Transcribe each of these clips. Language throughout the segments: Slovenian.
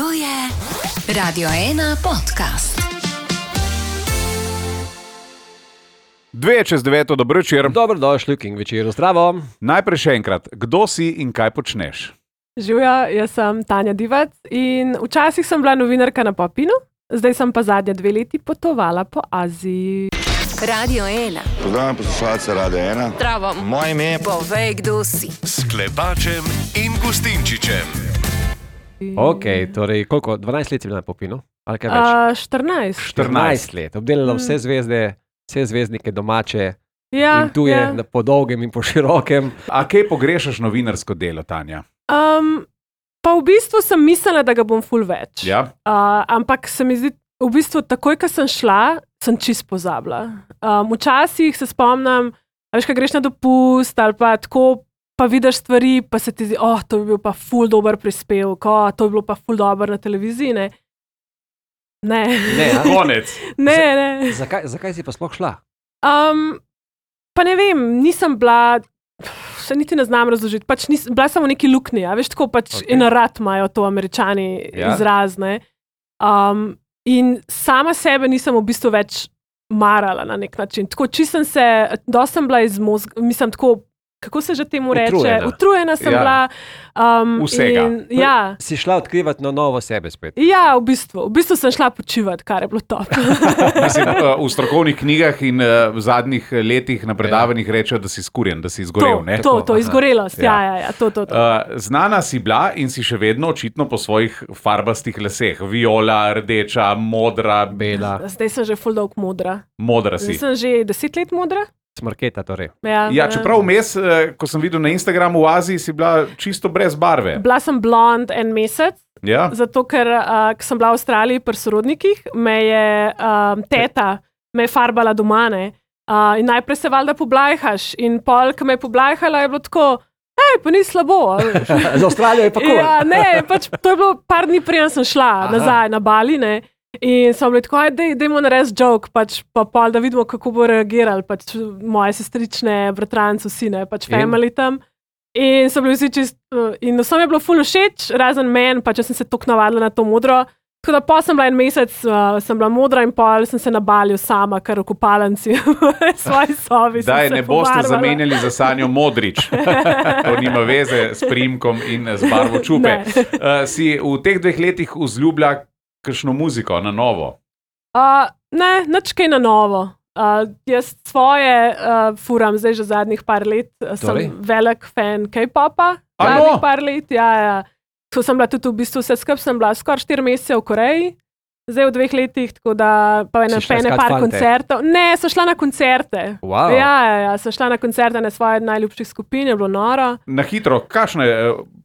To je Radio 1 podcast. 8:45, dobro večer. Dobrodošli v King večeru, zdravo. Najprej še enkrat, kdo si in kaj počneš? Živjo, jaz sem Tanja Divac in včasih sem bila novinarka na Papinu, zdaj sem pa zadnje 2 leti potovala po Aziji. Radio 1. Pozdravljam poslušalce Radio 1. Zdravo. Moje ime je... Povej, kdo si. S Klepačem in Gustinčičem. Ok, torej koliko? 12 let si bila na Popinu? Ali kaj več? 14. Let. Obdelala vse zvezde, vse zvezdnike domače Ja, in tuje, po dolgem in po širokem. A kaj pogrešaš novinarsko delo, Tanja? Pa v bistvu sem mislila, da ga bom ful več. Ja? Ampak se mi zdi, v bistvu takoj, ko sem šla, sem čist pozabila. Včasih se spomnim, veš, kaj greš na dopust ali pa tako, pa vidiš stvari, pa se ti zdi, to bi bil pa ful dober prispevek, to bi bilo pa ful dober na televiziji, ne. Ne. Konec. Ne. Zakaj si pa sploh šla? Pa ne vem, nisem bila, se niti ne znam razložiti, pač bila sem v neki luknji, veš, tako pač okay. Enarat imajo to Američani izrazne. In sama sebe nisem v bistvu več marala na nek način. Tako, sem se, dosti sem bila iz mozga, mislim tako, kako se že temu reče? Utrujena sem bila. Vsega. Si šla odkrivati na novo sebe spet? Ja, v bistvu sem šla počivati, kar je bilo top. Mislim, v strokovnih knjigah in v zadnjih letih na predavanjih rečejo, da si skurjen, da si izgorel. To, izgorelost, to. Znana si bila in si še vedno očitno po svojih farbastih laseh. Viola, rdeča, modra, bela. Zdaj sem že ful dolg modra. Modra si. Zdaj sem že 10 let modra. Smrketa torej. Ja, čeprav vmes, ko sem videl na Instagramu v Aziji, si bila čisto brez barve. Bila sem blond en mesec, zato ker ko sem bila v Avstraliji pri sorodnikih, me je teta farbala doma, ne. In najprej se valjda poblajhaš in pol, ko me je poblajhala, je bilo tako, pa ni slabo. Za Avstralijo je pa cool. Ja, ne, pač to je bilo par dni prije sem šla nazaj na Bali, ne. In so bili tako, dajmo narediti joke, pač pa pol, da vidimo, kako bo reagirali, pač moje sestrične, bratranci, vsi, ne, pač family tam. In so bili vsi čist, in vsem je bilo ful všeč, razen meni, pač sem se toliko navadila na to modro. Tako da pa sem bila en mesec, sem bila modra in pol sem se nabalil sama, kar v kopalnici v svoji sobi. Daj, ne boste zamenjali za Sanjo Modrič. To nima veze s priimkom in z barvo čupe. Si v teh 2 letih vzljubila kakšno muziko na novo? Ne, nič kaj na novo. Jaz svoje furam zdaj že zadnjih par let. Sem velik fan K-popa. Zadnjih par let, ja. To sem bila tudi v bistvu vse skupaj, sem bila skoraj 4 mesece v Koreji. Zdaj v 2 letih, tako da pa ene par koncertov. Ne, sem šla na koncerte. Wow. Ja, sem šla na koncerte na svoje najljubših skupin, je bilo noro. Na hitro, kakšna je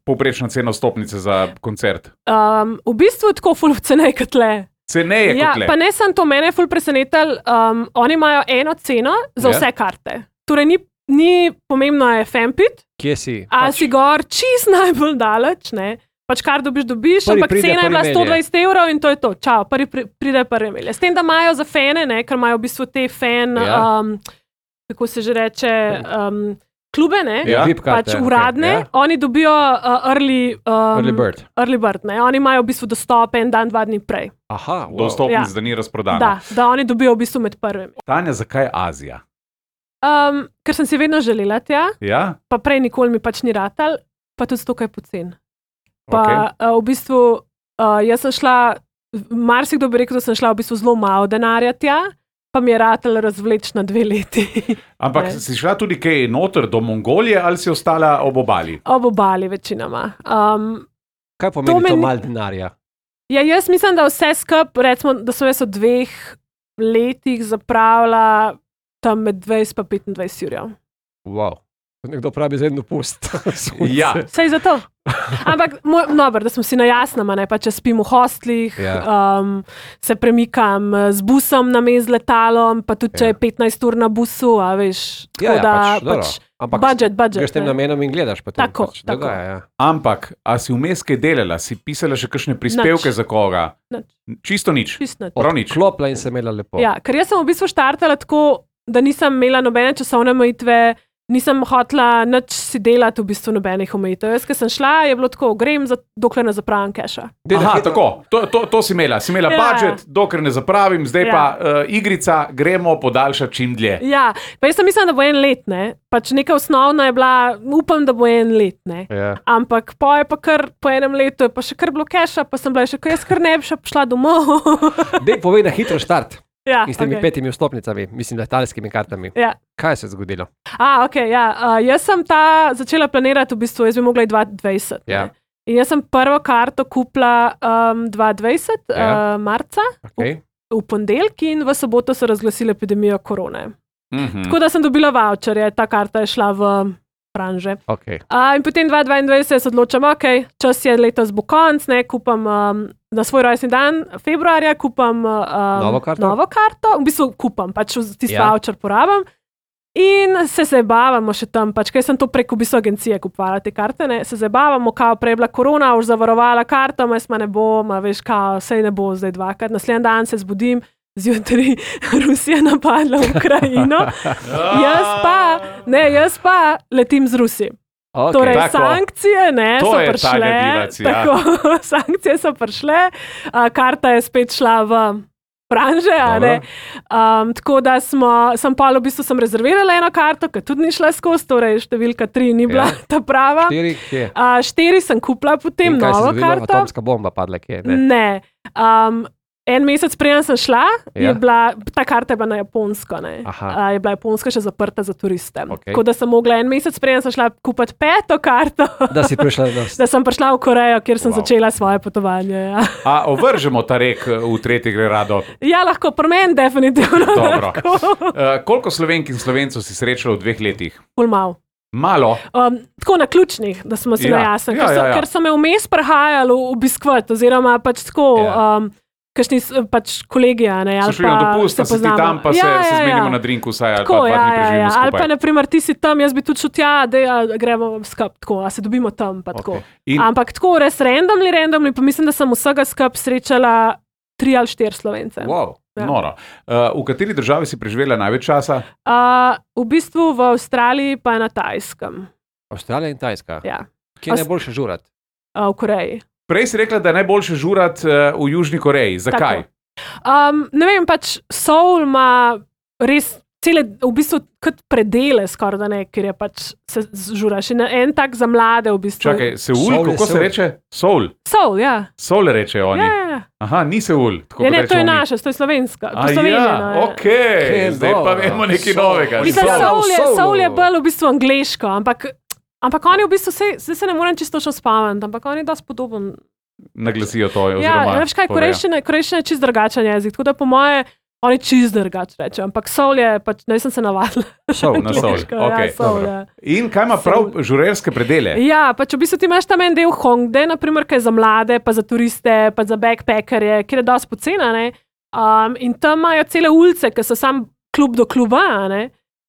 povprečna cena vstopnice za koncert? V bistvu tako ful cenej kot le. Ceneje kot le? Pa ne sem to, mene je ful presenetal, oni imajo eno ceno za vse karte. Torej ni pomembno je fanpit. Kje si? A si gor čist najbolj daleč, ne? Pač kar dobiš, ampak cena je bila 120 € in to je to. Čau, pride prvi melje. S tem, da imajo za fane, ne, ker imajo v bistvu te fan, kako se že reče, klube, ne, pač uradne, oni dobijo early bird, ne, oni imajo v bistvu dostop en dan, 2 dni prej. Aha, dostopnic, da ni razprodano. Da oni dobijo v bistvu med prvimi. Tanja, zakaj Azija? Ker sem si vedno želela tja, pa prej nikoli mi pač ni ratal, pa tudi zato, kaj je pocen. Pa v bistvu, jaz sem šla, marsikdo bi rekel, da sem šla v bistvu zelo malo denarja tja, pa mi je ratal razvleč na 2 leti. Ampak si šla tudi kaj noter do Mongolije ali si ostala ob obali? Ob obali večinoma. Kaj pomeni to malo denarja? Ja, jaz mislim, da vse skup, recimo, da so jaz v 2 letih zapravila tam med 20 pa 25 €. Wow. Nekdo pravi za en dopust. Ja. Sej za to. Ampak, da smo si na jasnem, ne, pa če spim v hostlih, se premikam z busom namesto letalom, pa tudi če je 15 ur na busu, a veš, tako da budget. Greš tem namenom in gledaš potem. Tako. Ampak, a si vmes kaj delala? Si pisala še kakšne prispevke za koga? Čisto nič. Prav nič. Klopla in se imela lepo. Ja, ker jaz sem v bistvu štartala tako, da nisem imela nobene časovne omejitve. nisem hotela nič si delati, v bistvu nobenih omejitev. Jaz, ko sem šla, je bilo tako, grem, dokler ne zapravim keša. Aha, tako, to si imela. Si imela budžet, dokler ne zapravim, zdaj pa igrica, gremo podaljšati čim dlje. Ja, pa jaz sem mislila, da bo 1 let, ne. Pač neka osnovna je bila, upam, da bo 1 let, ne. Ampak po po 1 letu je pa še kar bilo keša, pa sem bila še, jaz kar ne bi še šla domov. Dej povej na hitro štart. Ja, in s temi 5 vstopnicami, mislim, letalskimi kartami. Ja. Kaj se je zgodilo? Jaz sem začela planirati, v bistvu, jaz bi mogla 2020. Ja. In jaz sem prvo karto kupila 2020, marca, v ponedeljek in v soboto so razglasili epidemijo korone. Tako da sem dobila voucherje, ta karta je šla v branže. In potem 2022 se odločam, čas je letos bo konc, ne, kupam na svoj rojstni dan februarja, kupam novo karto, v bistvu kupam, pač tisti voucher porabam in se zabavamo še tam, pač kaj sem to preko v bistvu agencije kupovala te karte, ne, se zabavamo, kao prej bila korona, už zavarovala karto, jaz ma ne bom, veš, kao, sej ne bo zdaj dvakrat, naslednji dan se zbudim, zjutraj Rusija napadla Ukrajino, jaz pa letim z Rusi. Torej, sankcije so prišle, sankcije so prišle, karta je spet šla v branže, tako da sem pa v bistvu rezervirala eno karto, ki tudi ni šla skozi, torej številka 3 ni bila ta prava. 4 sem kupila potem novo karto. In kaj se zgodilo, atomska bomba padla kje? Ne. 1 mesec preden sem šla, ta karta je bila na japonsko, ne. Je bila japonska še zaprta za turiste. Tako da sem mogla 1 mesec preden sem šla kupiti 5. karto, da sem prišla v Korejo, kjer sem začela svoje potovanje. A ovržemo ta rek v tretji gre rado? Ja, lahko, pri meni definitivno. Dobro. Koliko Slovenk in Slovencev si srečala v 2 letih? Ful malo. Malo? Tako na ključnih, da smo si najjasni. Ker so me vmes prihajali obiskovati, oziroma pač tako... kakšni pač kolegija, ne, ali pa se šli na dopust, si ti tam, pa se zmenimo na drinku vsaj, ali pa 2 dni preživimo skupaj. Ali pa, na primer, ti si tam, jaz bi tudi šel tja, gremo skup, tako, a se dobimo tam, pa tako. Ampak tako, res randomly, pa mislim, da sem vsega skup srečala 3 ali 4 Slovence. Wow, noro. V kateri državi si preživela največ časa? V bistvu v Avstraliji, pa na Tajskem. Avstralija in Tajska? Ja. Kje je najboljše žurati? V Koreji. Prej si rekla, da je najboljše žurati v Južni Koreji. Zakaj? Ne vem, pač Seoul ima res cele, v bistvu kot predele skoraj da ne, ker je pač se žuraš. En tak za mlade v bistvu. Čakaj, Seul, kako se reče? Seoul? Seoul, ja. Seoul rečejo oni. Ja. Aha, ni Seul. Ne, to je naša, to je slovenska. Okej, zdaj pa vemo nekaj novega. Seoul je bolj v bistvu angleško, ampak oni v bistvu, zdaj se ne morem čisto še spomniti, ampak oni dosti podoben. Naglasijo to, oziroma ja, veš kaj, korejščina je čist drugačen jezik, tako da po moje oni čist drugače rečejo, ampak Seoul je pač, ne sem se navadila. Seoul, na Seoul, okej. In kaj ima prav žurerske predele? Ja, pač v bistvu ti imaš tam en del Hongdae, naprimer, kaj je za mlade, pa za turiste, pa za backpackerje, kjer je dosti pocena, ne, in tam imajo cele ulice, ki so sam klub do kluba, ne,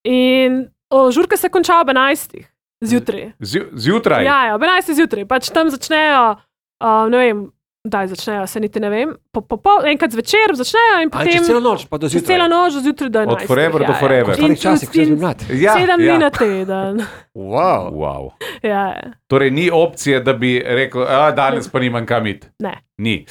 in žurke se končajo ob 11. Zjutraj. Zjutraj? Ja, ob 11. zjutraj. Pač tam začnejo, ne vem, daj začnejo, se niti ne vem, enkrat zvečer začnejo in potem... Čez celo noč, pa do zjutraj. Čez celo noč, do zjutraj do 11. Od forever do forever. In časih, če bi mlad. 7 dni na teden. Wow. Ja. Torej ni opcije, da bi rekel, danes pa nimam kam iti. Ne. Ni.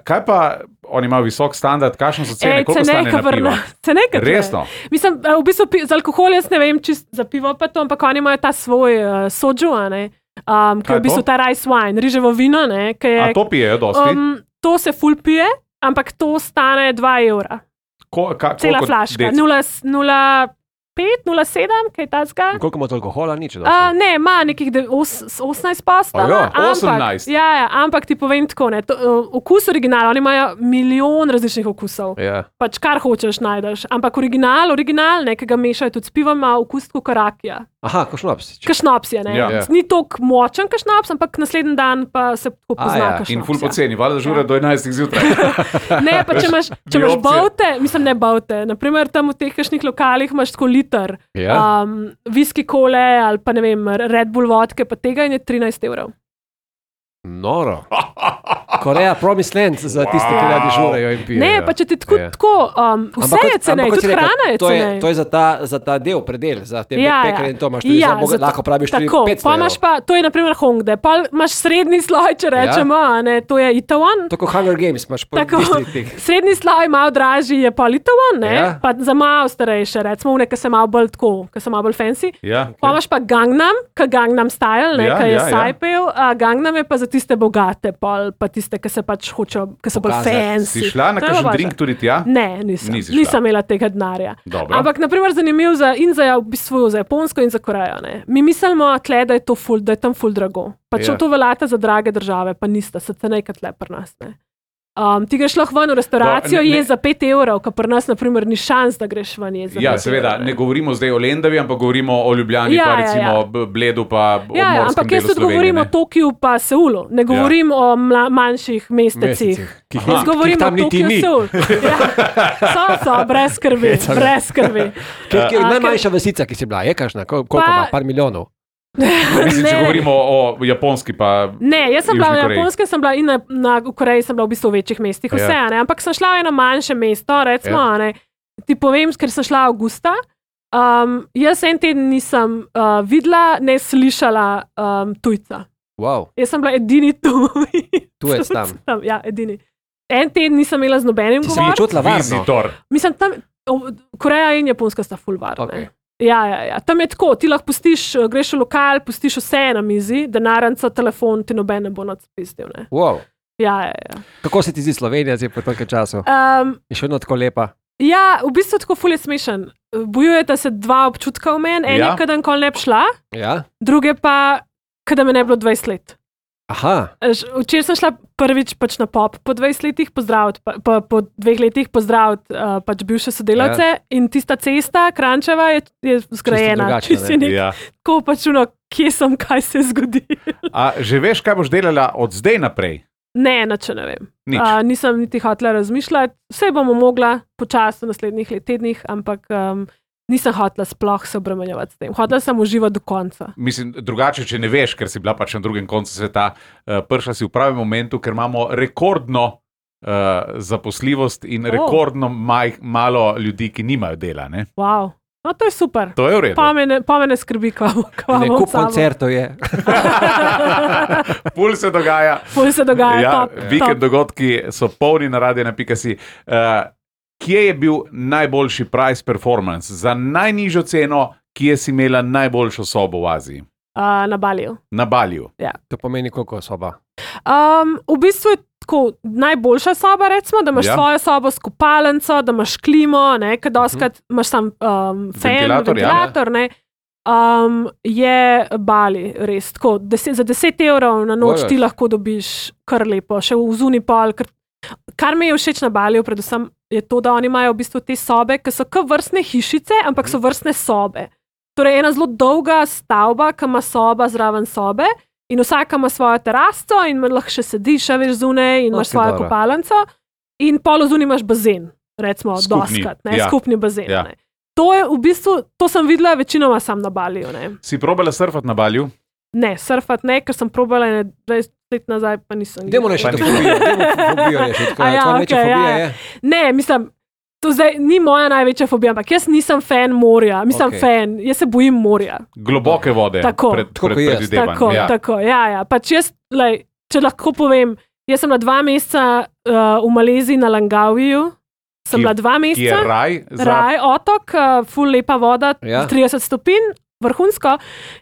Kaj pa, oni imajo visok standard, kakšno so cene, koliko stane na pivo? Cenejka. Resno? Mislim, v bistvu z alkohol jaz ne vem, čist za pivo pa to, ampak oni imajo ta svoj soju, ne, ki je v bistvu ta rice wine, riževo vino, ne. A to pijejo dosti? To se ful pije, ampak to stane 2 evra. Cela flaška, 0,5, 0,7, kaj tazga? Koliko ima to alkohola? Nič dosti. Ne, ima nekih 18%. Ja, 18? Ja, ampak ti povem tako, ne, okus originala, oni imajo milijon različnih okusov. Ja. Pač kar hočeš najdeš, ampak original, ne, ki ga mešajo tudi s pivom, ima okus tako karakija. Aha, ko šnops. Ko šnops je, ne. Ja. Ni toliko močen, ko šnops, ampak naslednji dan pa se tako pozna, ko šnops. In ful poceni, valjda žura do 11. zjutraj. Ne, pa če imaš baute, mislim ne baute, naprimer tam v teh kakšnih lokalih imaš tako liter, whisky kole ali pa ne vem, Red Bull vodke, pa tega in je 13 evrov. Noro. Koreja, promised land za tiste, ki radi žurejo in pijejo. Ne, pa če ti tako, vse je cenej, tudi hrana je cenej. To je za ta del, predel, za te pekare in to imaš tudi, lahko praviš tudi 500 evrov. To je naprimer Hongdae, pa imaš srednji sloj, če rečemo, to je Itaewon. Tako Hunger Games imaš po distriktih. Srednji sloj, malo dražji je pa Itaewon, pa za malo starejše, recimo, ki se malo bolj tako, ki so malo bolj fancy. Pa imaš pa Gangnam Style, ki je Saipel, Gangnam je pa za tiste bogate, pa tiste, ki se pač hočejo, ki so bolj fancy. Si šla na kakšen drink tudi tja? Ne, nisem imela tega denarja. Ampak, naprimer, zanimiv za v bistvu za Japonsko in za Korejo. Mi mislimo, tle, da je tam ful drago. Pač to veljata za drage države, pa nista, se cenej kot le pri nas. Ti greš lahko ven v restauracijo, je za 5 evrov, kar pri nas, naprimer, ni šans, da greš ven je za 5 evrov. Seveda, ne govorimo zdaj o Lendavi, ampak govorimo o Ljubljani, pa recimo Bledu, pa o morskem delu Slovenije. Ampak jaz tudi govorim o Tokiju pa Seulu, ne govorim o manjših mestecih. Jaz govorim o Tokiju, Seul. So, brez skrbi. Najmanjša vasica, ki si bila, je kakšna? Koliko ima? Par milijonov? Mislim, če govorimo o Japonski pa Ne, jaz sem bila na Japonskem, sem bila in na Koreji sem bila v bistvu v večjih mestih, vse, ampak sem šla v eno manjše mesto, recimo, ti povem, ker sem šla avgusta, jaz en teden nisem videla, ne slišala tujca. Wow. Jaz sem bila edini tujec tam. Ja, edini. En teden nisem imela z nobenim govor. Si mi čutila varno? Mislim, tam Koreja in Japonska sta ful varne. Okay. Ja. Tam je tako, ti lahko pustiš, greš v lokal, pustiš vse na mizi, denarnica, telefon, ti noben ne bo nadspistil. Wow. Ja. Kako se ti zdi Slovenija zdaj po toliko času? Je še vedno tako lepa? Ja, v bistvu tako ful je smešen. Bojujeta se dva občutka v meni, en je, kada nikoli ne bi šla, druge pa, kada me ne bilo 20 let. Aha. Včeraj sem šla prvič pač na pop po 20 letih pozdraviti, po 2 letih pozdraviti pač bivše sodelavce in tista cesta, Kranjčeva, je zgrajena. Tako pač kje sem, kaj se zgodi. A že veš, kaj boš delala od zdaj naprej? Ne, nič ne vem. Nisem niti hotela razmišljati. Vse bomo mogla počasi v naslednjih tednih, ampak nisem hotela sploh se obremenjevati s tem. Hotela sem uživati do konca. Mislim, drugače, če ne veš, ker si bila pač na drugem koncu sveta, prišla si v pravem momentu, ker imamo rekordno zaposljivost in rekordno malo ljudi, ki nimajo dela. Ne? Wow. No, to je super. To je v redu. Pa me ne skrbi, kaj kup koncertov je. Pul se dogaja. Top. Vikend dogodki so polni na radio.si. Kje je bil najboljši price performance za najnižjo ceno, kje si imela najboljšo sobo v Aziji? Na Baliju. Na Baliju. Ja. To pomeni koliko soba? V bistvu je tako najboljša soba, recimo, da imaš svojo sobo s kopalnico, da imaš klimo, ker doskrat imaš sam ventilator, je Bali res tako. Za 10 evrov na noč ti lahko dobiš kar lepo, še v Zunipol. Kar mi je všeč na Baliju, predvsem je to, da oni imajo v bistvu te sobe, ki so kot vrstne hišice, ampak so vrstne sobe. Torej, ena zelo dolga stavba, ki ima soba zraven sobe in vsaka ima svojo terasto in lahko še sediš, veš, zunaj in imaš svojo kopalnico in polo zunaj imaš bazen, recimo doskrat, skupni bazen. Ja. To je v bistvu, to sem videla večinoma sam na Baliju. Si probala surfati na Baliju? Ne, surfati ne, ker sem probala 20 let nazaj, pa nisem. Demo rešiti fobijo rešiti. Tvoja večja fobija je? Ne, mislim, to zdaj ni moja največja fobija, ampak jaz nisem fan morja. Fan, jaz se bojim morja. Globoke vode. Pred predvidevanjem. Tako, ja. Pač jaz, če lahko povem, jaz sem bila 2 meseca v Maleziji na Langaviju. Sem bila 2 meseca. Ki je raj? Raj, otok, ful lepa voda, 30 stopinj, vrhunsko.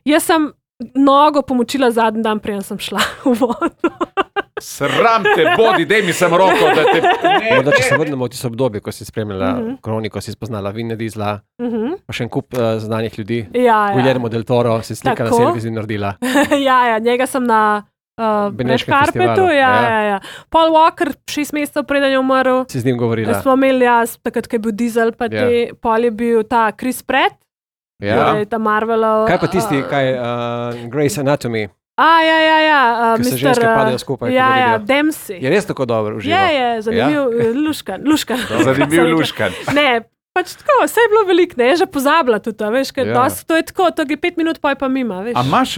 Jaz sem nogo pomočila zadnji dan, preden sem šla v vodo. Sram te bodi, dej mi sem roko, da te... Morda, če se vrnemo v tisto obdobje, ko si spremljala kroniko, si spoznala Vina Diesla, pa še en kup znanih ljudi. Guillermo del Toro si slika na selfie naredila. Ja, njega sem na Red Carpetu. Ja. Paul Walker, 6 mesecev preden je umrl. Si z njim govorila. Smo imeli takrat, ko je bil Diesel, pa Paul je bil ta Chris Pratt. Ta Marvelov. Kaj pa tisti, Grey's Anatomy? Ja. Ki se ženske padejo skupaj. Ja, Dempsey. Je res tako dobro uživo? Je, zanimiv, luškan. Zanimiv luškan. Ne, pač tako, vse je bilo veliko, ne, že pozabila tudi, veš, ker to je tako, to je 5 minut, pa mima, veš. A imaš,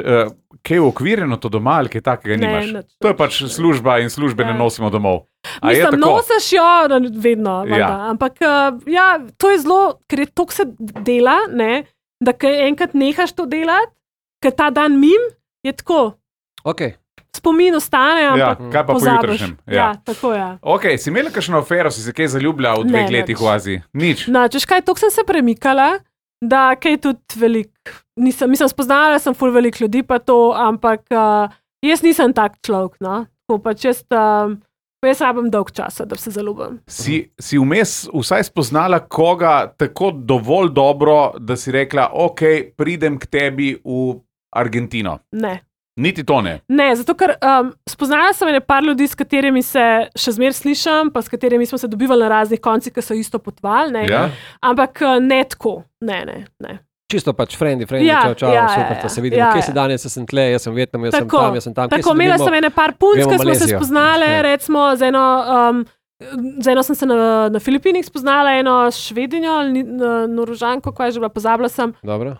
kaj je ukvirjeno to doma ali kaj takega nimaš? To je pač služba in službe ne nosimo domov. Mislim, nosiš jo vedno, ampak to je zelo, ker je toliko se dela, ne, da enkrat nehaš to delati, ker ta dan mim je tako. Spomin ostane, ampak kaj pa pozabiš. Tako je. Si imela kakšno afero, si se kaj zaljubila v 2 letih v Aziji? Nič. Češ kaj, toliko sem se premikala, da kaj tudi veliko. Mislim, spoznala sem ful veliko ljudi, pa to, ampak jaz nisem tak človek, no. Tako pač jaz rabim dolg časa, da se zaljubim. Si vmes vsaj spoznala koga tako dovolj dobro, da si rekla, pridem k tebi v Argentino? Ne. Niti to ne? Ne, zato ker spoznala sem par ljudi, s katerimi se še zmeraj slišam, pa s katerimi smo se dobivali na raznih koncih, ki so isto potovali, ampak ne tako, ne. Čisto pač friendly, čau, super, da se vidimo, kje si danes, jaz sem tle, jaz sem v Vietnamu, jaz sem tam. Tako, imela sem par punc, ki smo se spoznali, recimo z eno sem se na Filipinih spoznala, eno Švedinjo, Norožanko, koja je že bila, pozabila sem. Dobro,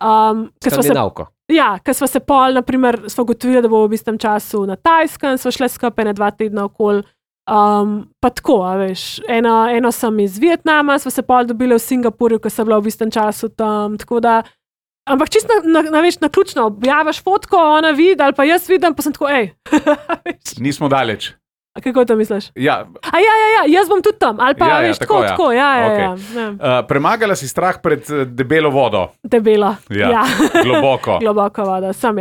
Skandinavko. Ker sva se pol, naprimer, sva ugotovila, da bo v istem času na Tajskem, sva šla skupaj 2 tedna okoli, pa tako, veš, eno sem iz Vietnama, sva se pol dobila v Singapurju, ko sem bila v istem času tam, tako da, ampak čisto naključno, objaviš fotko, ona vidi, ali pa jaz vidim, pa sem tako, Nismo daleč. A kako to misliš? Ja, jaz bom tudi tam, ali pa veš, tako. Premagala si strah pred debelo vodo. Debelo, Globoko. Globoko vodo, sem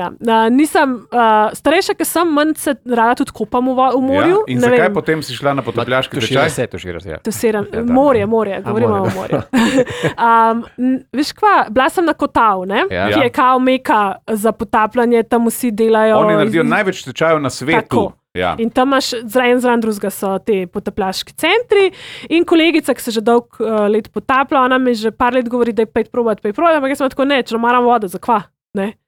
nisem, starejša, ker sem, manj se rada tudi kopam v morju. In zakaj potem si šla na potapljaški tečaj? Morje, govorimo o morju. Veš kva, bila sem na Kotav, ki je kao meka za potapljanje, tam vsi delajo. Oni naredijo največ tečajev na svetu. In tam imaš zraven drugega so te potapljaški centri in kolegica, ki se že dolg let potaplja, ona mi že par let govori, da je pejt probati, ampak jaz sem tako, če maram vodo, zakva, ne.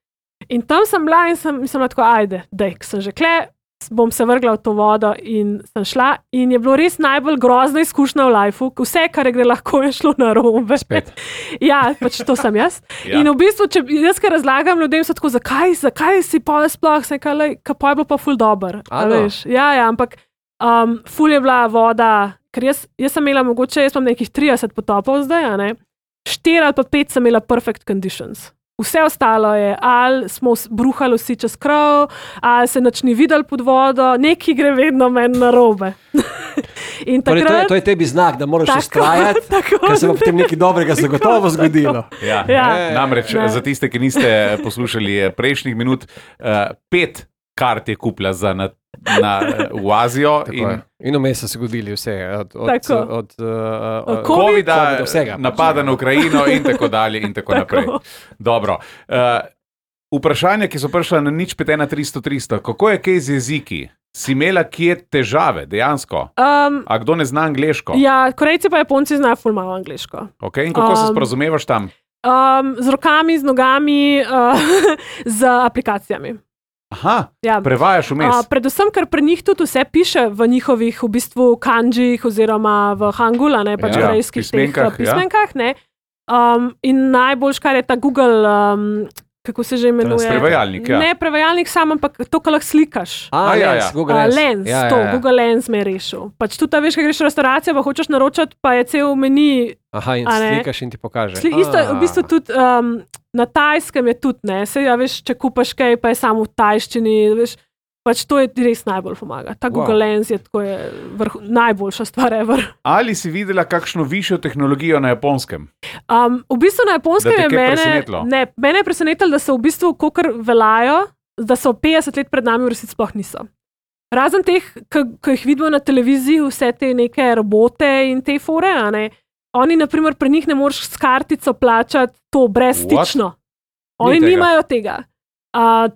In tam sem bila in sem tako, dej, sem že kle, bom se vrgla v to vodo in sem šla in je bilo res najbolj grozna izkušnja v lifeu, vse, kar gre lahko, je šlo narobe. Spet. Pač to sem jaz. In v bistvu, če jaz kaj razlagam ljudem, so tako, zakaj si pa sploh, kaj pa je bilo pa ful dober. Ampak ful je bila voda, ker jaz sem imela mogoče, jaz imam nekih 30 potopov zdaj, 4 ali pa 5 sem imela perfect conditions. Vse ostalo je, ali smo bruhali vsi čez krov, ali se nič ni videl pod vodo, nekaj gre vedno meni narobe. To je tebi znak, da moraš ustrajati, ker se bo potem nekaj dobrega zagotovo zgodilo. Namreč, za tiste, ki niste poslušali prejšnjih minut, 5 kart je kupila v Azijo. In vmes so se zgodili vse, od COVID-a, napada na Ukrajino in tako dalje in tako naprej. Dobro. Vprašanja, ki so prišla na 051 300 300, kako je kaj z jeziki? Si imela kje težave, dejansko? A kdo ne zna angleško? Korejci pa Japonci znajo ful malo angleško. In kako se sporazumevaš tam? Z rokami, z nogami, z aplikacijami. Aha, prevajaš vmes. Predvsem, ker pri njih tudi vse piše v njihovih v bistvu kanjih oziroma v hangula, pač korejskih pismenkah. In najboljš, kar je ta Google, kako se že imenuje? Prevajalnik, Ne prevajalnik sam, ampak to, kar lahko slikaš. Lens. Google Lens me je rešil. Pač tudi, veš, kaj greš v restauracijo, pa hočeš naročati, pa je cel meni. In slikaš in ti pokaže. Isto, v bistvu tudi na Tajskem je tudi, veš, če kupaš kaj, pa je samo v tajščini, veš, pač to je res najbolj pomaga. Ta Google Lens je tako najboljša stvar ever. Ali si videla kakšno višjo tehnologijo na Japonskem? V bistvu na Japonskem je mene je presenetilo, da so v bistvu kakor veljajo, da so 50 let pred nami v resnici sploh niso. Razen teh, ki jih vidimo na televiziji, vse te neke robote in te fore, oni, naprimer, pri njih ne moreš s kartico plačati to brezstično. Oni nimajo tega.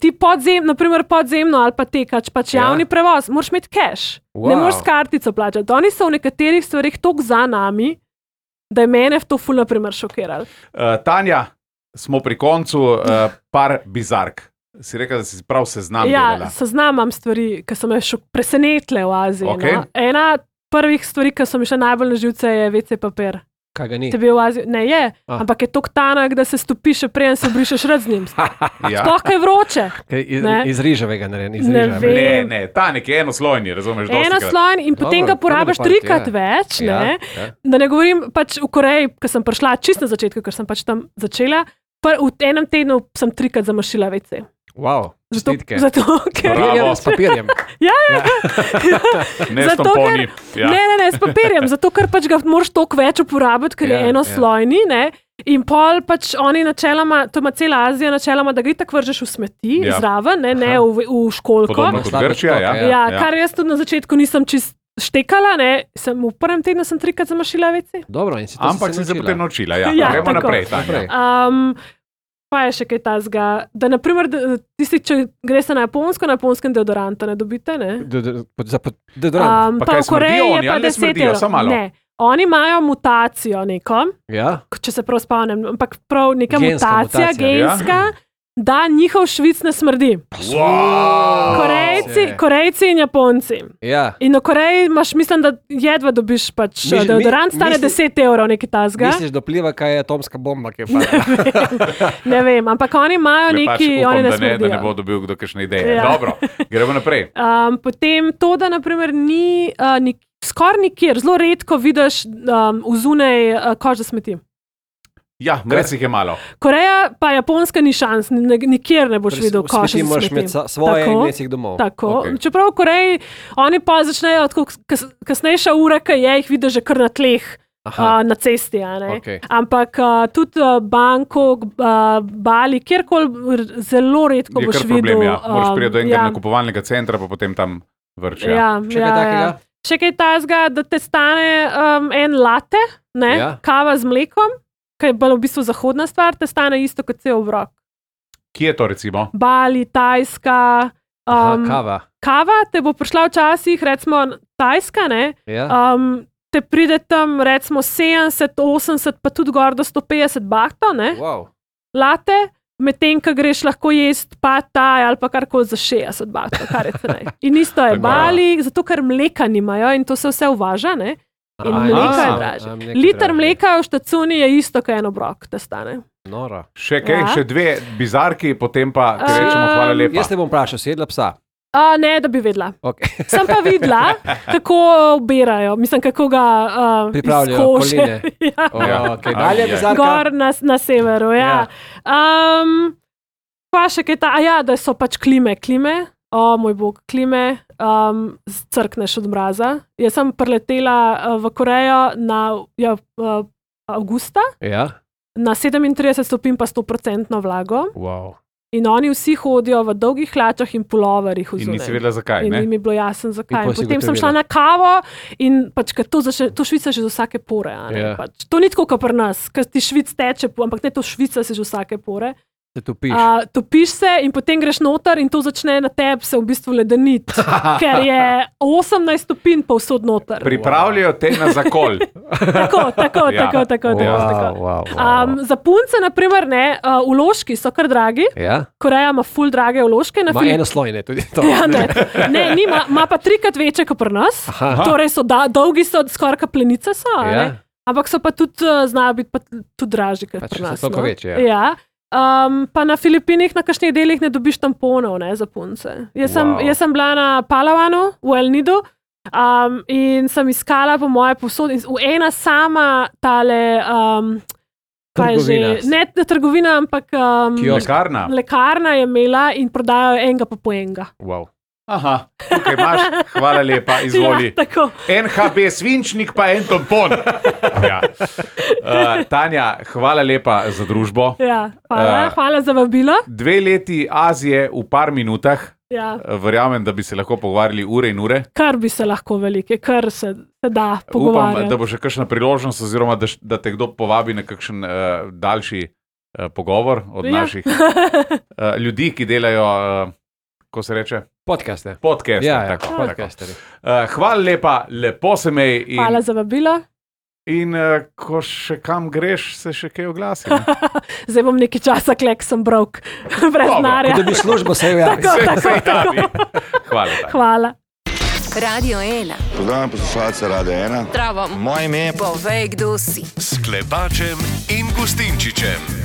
Ti podzemno ali pa tekač, pač javni prevoz, moraš imeti cash. Ne moreš s kartico plačati. Oni so v nekaterih stvarih toliko za nami, da je mene v to ful naprimer šokirali. Tanja, smo pri koncu, par bizark. Si rekla, da si prav seznam delala. Seznamam stvari, ki so me presenetile v Aziji. Ena prvih stvari, ki so mi še najbolj na živce, je WC papir. Kaj ga ni? Tebi v Aziji, ne je, ampak je tok tanek, da se stopi še preden se brišeš rad z njim. Sploh kaj vroče. Iz riževega narejen. Ne, tanek je enoslojni, razumeš? Enoslojni in potem ga porabiš trikrat več. Da ne govorim, pač v Koreji, ko sem prišla čisto na začetku, ker sem pač tam začela, v enem tednu sem 3krat zamašila WC. Wow, zato, ker... S papirjem. Ja. Ne s tamponi. Ne, s papirjem, zato ker pač ga moraš toliko več uporabiti, ker je enoslojni, ne. In pol pač oni načeloma, to ima cela Azija načeloma, da ga itak vržeš v smeti zraven, ne v školko. Podobno kot Grčija, ja. Kar jaz tudi na začetku nisem čist štekala, ne, v prvem tednu sem 3krat zamašila WC. Dobro, in si to ampak si se potem naučila, gremo naprej. Pa je še kaj tazga, da naprimer, tisti, če greš na japonskem deodoranta ne dobite, ne? Deodorant. Pa v Koreji je pa 10 €. Ne, oni imajo mutacijo neko, če se prav spomnim, ampak prav neka mutacija genska, da njihov švic ne smrdi. Korejci in Japonci. In v Koreji imaš, mislim, da jedva dobiš pač deodorant, stane 10 € nekaj tazga. Misliš, da pliva, kaj je atomska bomba, ki je pa? Ne vem, ampak oni imajo neki, oni ne smrdijo. Da ne bo dobil kdo kakšne ideje. Dobro, gremo naprej. Potem to, da naprimer ni skoraj nikjer, zelo redko vidiš vzunaj kož za smeti. Ja, res jih je malo. Koreja pa Japonska ni šans, nikjer ne boš videl koša za smeti. Smeti moraš imeti svoje in ne si jih domov. Tako, čeprav v Koreji oni pa začnejo, kasnejša ura, ki jih vidiš že kar na tleh, na cesti, ampak tudi Bangkok, Bali, kjerkoli zelo redko boš videl. Moraš priti do enega nakupovalnega centra, pa potem tam vrče. Še kaj tazga, da te stane en latte, kava z mlekom, kaj je bila v bistvu zahodna stvar, te stane isto kot cel obrok. Kje je to recimo? Bali, Tajska. Kava te bo prišla včasih, recimo Tajska, te pride tam recimo 70, 80, pa tudi gor do 150 bahtov, latte, medtem, ko greš lahko jest pad thai ali pa karkoli za 60 bahtov, kar je cenej. In isto je Bali, zato ker mleka nimajo in to se vse uvaža, in mleka je dražje. Liter mleka v štacuni je isto, kot en obrok, da stane. Nora. Še kaj, še dve bizarki, potem pa ti rečemo hvala lepa. Jaz te bom vprašal, si jedla psa? Ne, da bi vedela. Sem pa videla, kako obirajo, mislim, kako ga pripravljajo koline. Dalje bizarka? Gor na severu, Pa še kaj da so pač klime. Moj bog, klime, crkneš od mraza. Jaz sem preletela v Korejo avgusta, na 37 stopinj pa 100% vlago. Wow. In oni vsi hodijo v dolgih hlačah in puloverjih. In nisi vedela zakaj, ne? In mi je bilo jasno zakaj. Potem sem šla na kavo in pač, ker to švica že z vsake pore. Pač, to ni tako, kot pri nas, ker ti švic teče, ampak ne, to švica se že z vsake pore. Se topiš. Topiš se in potem greš noter in to začne na tebi se v bistvu ledeniti, ker je 18 stopinj pa vsod noter. Pripravljajo te na zakol. Tako. Za punce, naprimer, vložki so kar dragi. Koreja ima ful drage vložke. Ma enoslojne tudi to. Ima pa 3krat večje kot pri nas. Torej so dolgi, so skoraj kaplenice so. Ampak so pa tudi, znajo biti pa tudi dražji kot pri nas. Toliko večje. Pa na Filipinih na kakšnih delih ne dobiš tamponov, za punce. Jaz sem bila na Palawanu, v El Nidu, in sem iskala po moje posod, in ena sama tale, ne trgovina, ampak lekarna je imela in prodajajo enega po enega. Wow. Aha, tukaj imaš, hvala lepa, izvoli. NHB svinčnik pa en tampon. Tanja, hvala lepa za družbo. Hvala za vabilo. 2 leti Azije v par minutah. Verjamem, da bi se lahko pogovarjali ure in ure. Kar bi se lahko velike, kar se da pogovarjati. Upam, da bo še kakšna priložnost, oziroma da te kdo povabi na kakšen daljši pogovor od naših ljudi, ki delajo, ko se reče? Podcaste. Podcasteri. Hvala lepa, lepo se mej. Hvala za vabilo. In ko še kam greš, se še kaj oglasi. Zdaj bom nekaj časa klek, sem brok, brez denarja. Da bi službo se javil. Tako. Hvala. Hvala. Radio 1. Pozdravljam poslušalce Radia 1. Zdravo. Moje ime je... Povej, kdo si. S Klepačem in Gustinčičem.